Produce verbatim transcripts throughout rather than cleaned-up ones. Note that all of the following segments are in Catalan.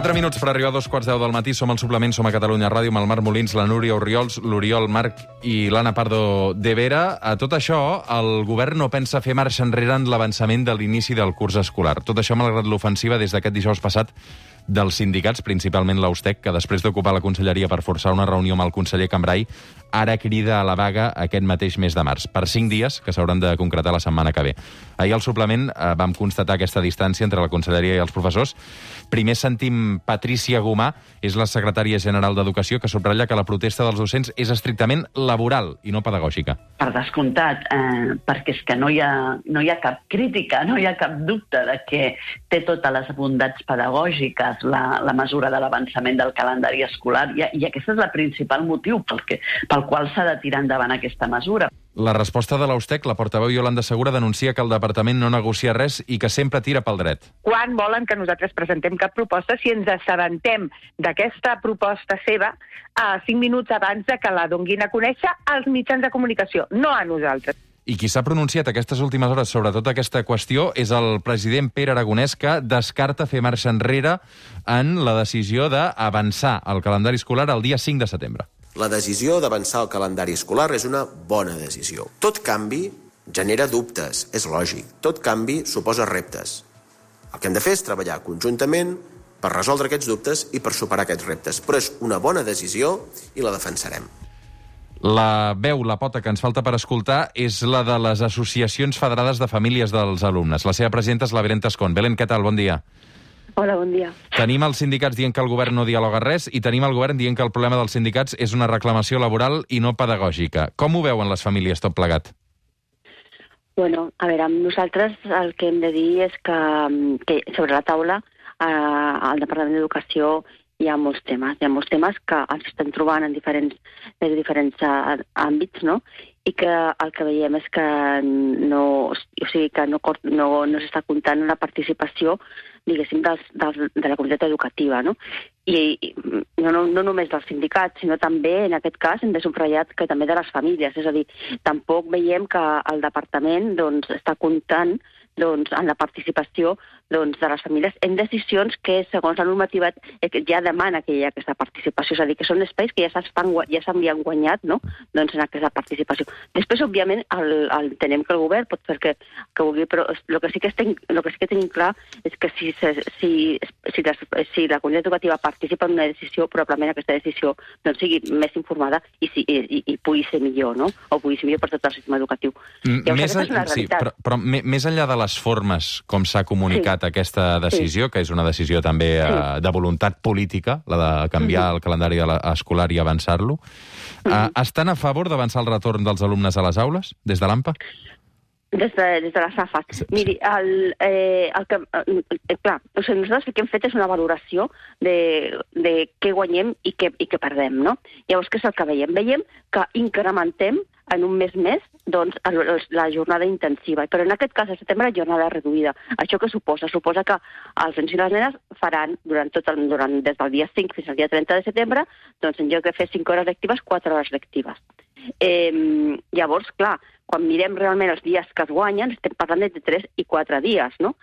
Quatre minuts per arribar a dos quarts deu del matí. Som al Suplement, som a Catalunya Ràdio, amb el Marc Molins, la Núria Orriols, l'Oriol Marc i l'Anna Pardo de Vera. A tot això, el govern no pensa fer marxa enrere en l'avançament de l'inici del curs escolar. Tot això malgrat l'ofensiva des d'aquest dijous passat dels sindicats, principalment l'Austec, que després d'ocupar la conselleria per forçar una reunió amb el conseller Cambray, ara crida a la vaga aquest mateix mes de març, per cinc dies que s'hauran de concretar la setmana que ve. Ahir al Suplement eh, vam constatar aquesta distància entre la conselleria i els professors. Primer sentim Patrícia Gomà, és la secretària general d'Educació, que subratlla que la protesta dels docents és estrictament laboral i no pedagògica. Per descomptat, eh, perquè és que no hi, ha, no hi ha cap crítica, no hi ha cap dubte de que té totes les bondats pedagògiques la, la mesura de l'avançament del calendari escolar, i, i aquest és el principal motiu pel, que, pel qual s'ha de tirar endavant aquesta mesura. La resposta de l'Austec, la portaveu Iolanda Segura, denuncia que el departament no negocia res i que sempre tira pel dret. Quan volen que nosaltres presentem cap proposta si ens assabentem d'aquesta proposta seva a cinc minuts abans de que la donguin a conèixer als mitjans de comunicació, no a nosaltres? I qui s'ha pronunciat aquestes últimes hores sobre tota aquesta qüestió és el president Pere Aragonès, que descarta fer marxa enrere en la decisió d'avançar el calendari escolar el dia cinc de setembre. La decisió d'avançar el calendari escolar és una bona decisió. Tot canvi genera dubtes, és lògic. Tot canvi suposa reptes. El que hem de fer és treballar conjuntament per resoldre aquests dubtes i per superar aquests reptes. Però és una bona decisió i la defensarem. La veu, la pota que ens falta per escoltar és la de les associacions federades de famílies dels alumnes. La seva presidenta és la Belén Tascón. Belén, què tal? Bon dia. Hola, bon dia. Tenim els sindicats dient que el govern no dialoga res i tenim el govern dient que el problema dels sindicats és una reclamació laboral i no pedagògica. Com ho veuen les famílies tot plegat? Bueno, a veure, amb nosaltres el que hem de dir és que, que sobre la taula eh, al Departament d'Educació hi ha molts temes, hi ha molts temes que ens estem trobant en diferents, en diferents uh, àmbits, no? I que el que veiem és que no, o sigui, que no, no, no s'està comptant la participació, diguéssim, dels, dels, de la comunitat educativa, no? I, i no, no, no només dels sindicats, sinó també, en aquest cas, hem de subratllar que també de les famílies. És a dir, tampoc veiem que el departament doncs, està comptant doncs, en la participació doncs, de les famílies en decisions que, segons la normativa, ja demana que hi ha aquesta participació. És a dir, que són espais que ja s'havien guanyat, no? Doncs, en aquesta participació. Després, òbviament, el, el, entenem que el govern pot fer que, que vulgui, però el que sí que, estem, el que, sí que tenim clar és que si, si, si, les, si la comunitat educativa participa en una decisió, probablement aquesta decisió doncs, sigui més informada i, i, i, i pugui ser millor, no? O pugui ser millor per tot el sistema educatiu. Llavors, més, és una sí, però, però més enllà de les formes com s'ha comunicat sí. aquesta decisió, sí. que és una decisió també sí. eh, de voluntat política, la de canviar mm-hmm. el calendari escolar i avançar-lo, mm-hmm. eh, estan a favor d'avançar el retorn dels alumnes a les aules, des de l'AMPA? Des de, des de les A F A. Sí. Miri, el, eh, el que, eh, clar, o sigui, nosaltres el que hem fet és una valoració de, de què guanyem i què, i què perdem, no? Llavors, què és el que veiem? Veiem que incrementem en un mes més doncs, la jornada intensiva, però en aquest cas, a setembre, la jornada reduïda. Això què suposa? Suposa que els nens i les nenes faran, durant tot el, durant, des del dia cinc fins al dia trenta de setembre, doncs en lloc de fer cinc hores lectives, quatre hores lectives. Eh, llavors, clar, quan mirem realment els dies que es guanyen, estem parlant de tres i quatre dies, no?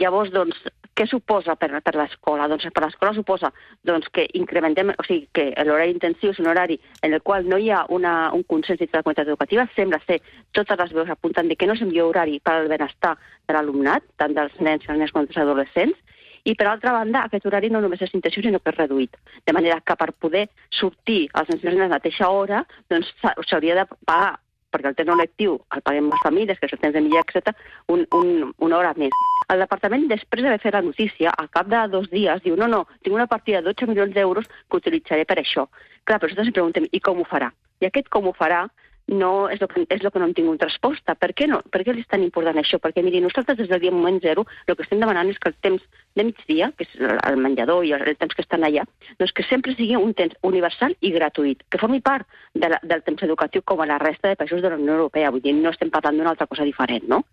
Llavors, doncs, què suposa per, per l'escola? Doncs per l'escola suposa doncs, que incrementem, o sigui, que l'horari intensiu és un horari en el qual no hi ha una, un consens de la comunitat educativa, sembla ser, totes les veus apunten de que no és un millor horari per al benestar de l'alumnat, tant dels nens, els nens com dels adolescents, i per altra banda, aquest horari no només és intensiu, sinó que és reduït. De manera que per poder sortir els nens i les nenes a la mateixa hora, doncs s'hauria de pagar, perquè el temps no lectiu el paguem les famílies, que és el temps de mitjà, etcètera, un, un, una hora més. El departament, després d'haver fet la notícia, al cap de dos dies, diu, no, no, tinc una partida de dotze milions d'euros que utilitzaré per això. Clar, però nosaltres ens preguntem, i com ho farà? I aquest com ho farà no és el que, és el que no hem tingut resposta. Per què no? Per què és tan important això? Perquè, miri, nosaltres des del dia moment zero el que estem demanant és que el temps de migdia, que és el menjador i el temps que estan allà, doncs que sempre sigui un temps universal i gratuït, que formi part de la, del temps educatiu com a la resta de països de la Unió Europea. Vull dir, no estem parlant d'una altra cosa diferent, no?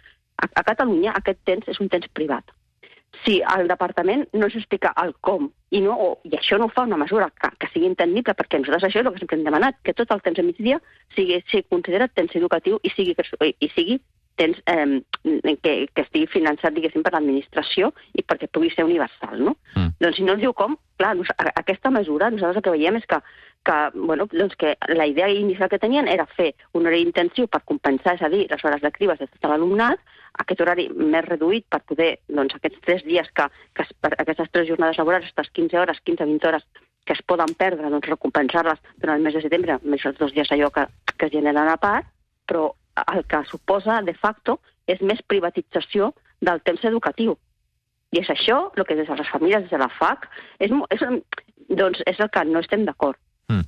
A, a Catalunya aquest temps és un temps privat. Si el departament no s'explica el com, i, no, o, i això no ho fa una mesura que, que sigui entendible, perquè nosaltres això és el que sempre hem demanat, que tot el temps de migdia sigui, sigui considerat temps educatiu i sigui, i sigui tens eh, que, que estigui finançat, diguéssim, per l'administració i perquè pugui ser universal, no? Mm. Doncs si no ens diu com, clar, aquesta mesura, nosaltres el que veiem és que, que, bueno, doncs que la idea inicial que tenien era fer un horari intensiu per compensar, és a dir, les hores de criba de tot l'alumnat, aquest horari més reduït per poder, doncs, aquests tres dies que, que aquestes tres jornades laborals, aquestes quinze hores, quinze a vint hores, que es poden perdre, doncs recompensar-les durant el mes de setembre, més els dos dies allò que, que es generen a part, però el que suposa, de facto, és més privatització del temps educatiu. I és això el que des de les famílies, des de la F A C, és, és, doncs és el que no estem d'acord. Mm.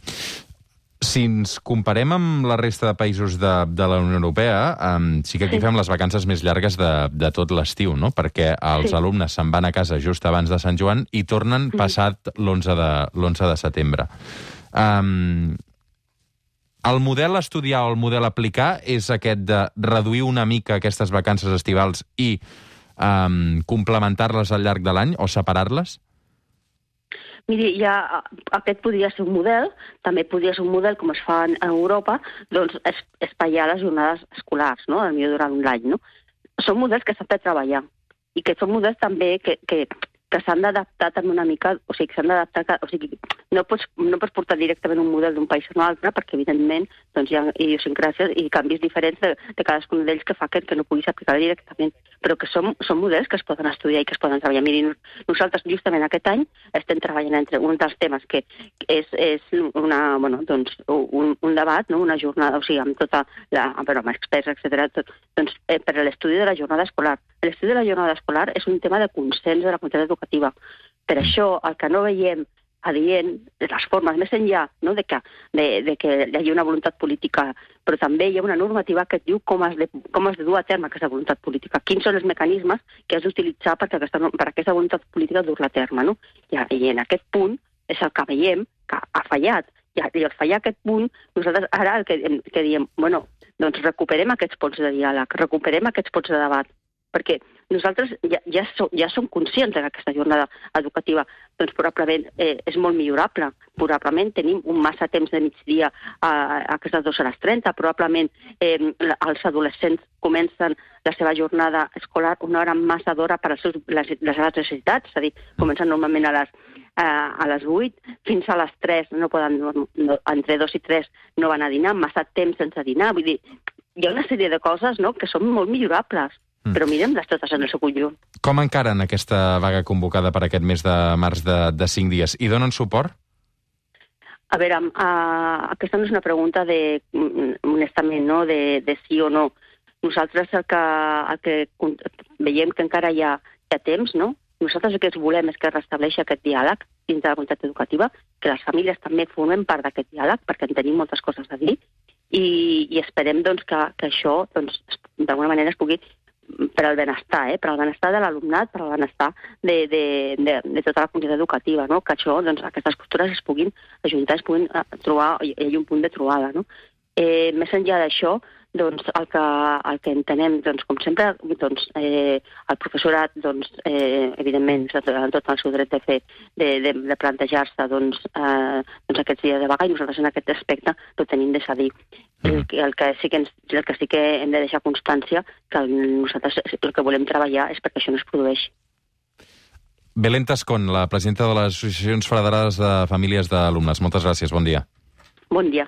Si ens comparem amb la resta de països de, de la Unió Europea, um, sí que aquí sí. fem les vacances més llargues de, de tot l'estiu, no? Perquè els sí. alumnes se'n van a casa just abans de Sant Joan i tornen passat l'onze de, l'onze de setembre. Um, el model a estudiar o el model a aplicar és aquest de reduir una mica aquestes vacances estivals i um, complementar-les al llarg de l'any o separar-les? Miri, ja, aquest podria ser un model, també podria ser un model, com es fa en Europa, doncs es, espaiar les jornades escolars, no?, potser durant un any, no? Són models que s'han de treballar i que són models també que, que, que s'han d'adaptar també una mica, o sigui, que s'han d'adaptar, o sigui, no pots, no pots portar directament un model d'un país a un altre, perquè evidentment doncs, hi ha idiosincràcies i canvis diferents de, de cadascun d'ells que fa que, que no puguis aplicar directament, però que són, són models que es poden estudiar i que es poden treballar. Miri, nosaltres justament aquest any estem treballant entre un dels temes que és, és una, bueno, doncs, un, un debat, no? Una jornada, o sigui, amb tota la, però amb experts, etcètera, tot, doncs, eh, per a l'estudi de la jornada escolar. L'estudi de la jornada escolar és un tema de consens de la comunitat educativa. Per això, el que no veiem adient, les formes més enllà, no? de, que, de, de que hi hagi una voluntat política, però també hi ha una normativa que et diu com has de, com has de dur a terme aquesta voluntat política, quins són els mecanismes que has d'utilitzar per aquesta, per aquesta voluntat política dur-la a terme. No? I, I en aquest punt és el que veiem que ha fallat. I, i al fallar aquest punt, nosaltres ara el que, que diem, bueno, doncs recuperem aquests ponts de diàleg, recuperem aquests ponts de debat, perquè nosaltres ja, ja, som, ja som conscients que aquesta jornada educativa doncs probablement eh, és molt millorable. Probablement tenim un massa temps de migdia a, a aquestes dues hores trenta. Probablement eh, els adolescents comencen la seva jornada escolar una hora massa d'hora per als seus, les, les seves necessitats. És a dir, comencen normalment a les, a, a les vuit, fins a les tres, no poden, no, entre dos i tres no van a dinar, massa temps sense dinar. Vull dir, hi ha una sèrie de coses, no?, que són molt millorables. Però mirem-les totes en el seu conjunt. Com encaren aquesta vaga convocada per aquest mes de març de, de cinc dies? I donen suport? A veure, uh, aquesta no és una pregunta de, honestament, no?, de, de sí o no. Nosaltres el que, el que veiem que encara hi ha, hi ha temps, no? Nosaltres el que volem és que es restableixi aquest diàleg dins de la comunitat educativa, que les famílies també formen part d'aquest diàleg, perquè en tenim moltes coses a dir, i, i esperem doncs, que, que això doncs, d'alguna manera es pugui per al benestar, eh? per al benestar de l'alumnat, per al benestar de, de, de, de tota la comunitat educativa, no? Que això, doncs, aquestes postures es puguin ajuntar, es puguin trobar, hi ha un punt de trobada, no? Eh, més enllà d'això, doncs, el que, el que entenem, doncs, com sempre, doncs, eh, el professorat, doncs, eh, evidentment, en tot el seu dret de fer, de, de, de plantejar-se, doncs, eh, doncs, aquests dies de vaga, i nosaltres en aquest aspecte ho tenim de cedir. El, el, que sí que ens, el que sí que hem de deixar constància que el, nosaltres el que volem treballar és perquè això no es produeixi. Belén Tascón, la presidenta de les Associacions Federades de Famílies d'Alumnes. Moltes gràcies, bon dia. Bon dia.